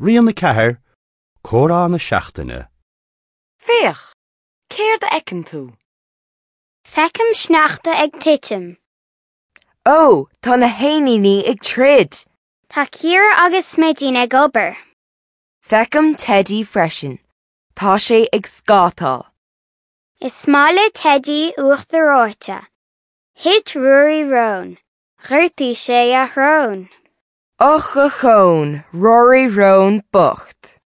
Rian 4, Comhrá na Seachtaine. Féach! Céard a fheiceann tú? Feicim sneachta ag titim. Ó, tá na héiníní ag troid! Tá Ciara agus Smidín ag obair. Feicim Teidí freisin. Tá sé ag scátáil. Is maith le Teidí uachtar reoite. Thit Ruairí Rón. Ghortaigh sé a shrón. Och, ochón, Ruairí Rón bocht.